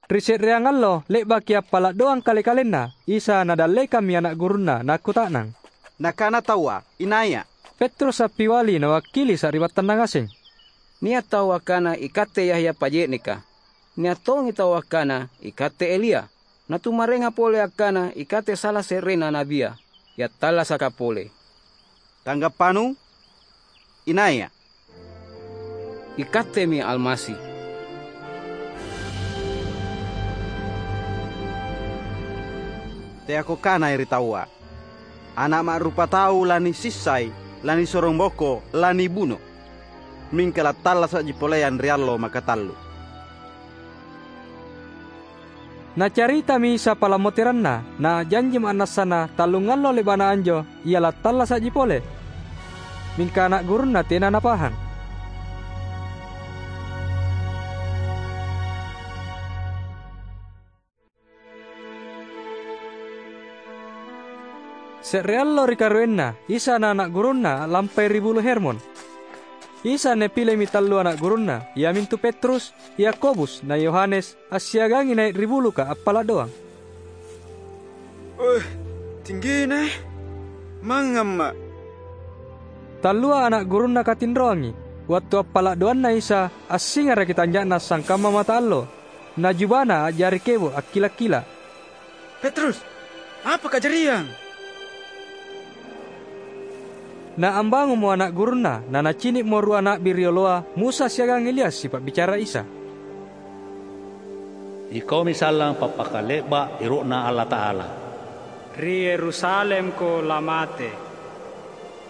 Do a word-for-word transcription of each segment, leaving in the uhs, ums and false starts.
Ri se'reang allo le'baki appala' doang kale-kalenna, Isa Nadallekammi ana' gurunNa, nakkuta'nang. Nakana taua, "InaiA'?" Petrus appiali nawakkili sari'battanna ngaseng, "Nia' tau akkana ikatte Yahya Paje'neka. Nia' tongi tau akkana ikatte Elia. Natumarenga pole akkana ikatte sala se'rena nabia, kiattallasaka pole. Tanggappanu? InaiA'?" "Ikattemi Almasi." "Teako kanai ri taua, Ana' Ma'rupatau lanisissai, lanisorong boko, lanibuno. Mingka lattallasa'ji poleang ri allo makatallu." Nacaritami Isa palammoteranNa, na a'janji ma'nassana tallungallo le'ba'na anjo Ia lattallasa'ji pole. Mingka ana' gurunNa tena napahang. Se're allo ri karuenna, Isa na ana' gurunNa a'lampai ri Bulu Hermon. Isa Napilemi tallu ana' gurunNa, iamintu Petrus, Yakobus, na Yohanes, assiagangi nai' ri buluka appala' doang. "Eh, tinggina, eh! Mangngamma'!" Tallua ana' gurunNa katinroangi. Wattu appala' doanna Isa, assingaraki tanja'na sangkamma mata allo, na jubana a'jari kebo' akkila'-kila'. "Petrus, apa kajariang?" Na ambangunmo ana' gurunNa, na nacini'mo rua na'bi rioloa, Musa siagang Elias, sipa'bicara Isa. "Ikaumi sallang pappakale'ba' ero'Na Allata'ala. Ri Yerusalemko lamate."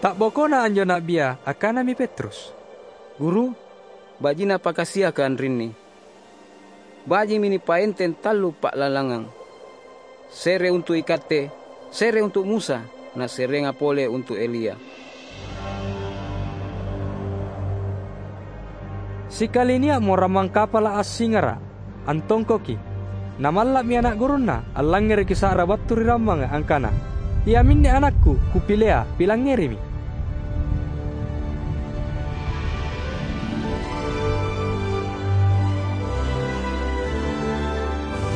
Ta'bokona anjo na'bia, akkanami Petrus, "Guru, baji'na pakasiaka anrinni. Baji'mi nipaenteng tallu pa'lalangang. Se're untu' ikatte, se're untu' Musa, na se'renga pole untu' Elia." Sikali nia'mo rammang kapala' assingara', antongkoki. Namalla'mi ana' gurunNa, allangngereki sa'ra battu ri rammanga angkana, "Iaminne anakKu, Kupilea, pilangngerimi."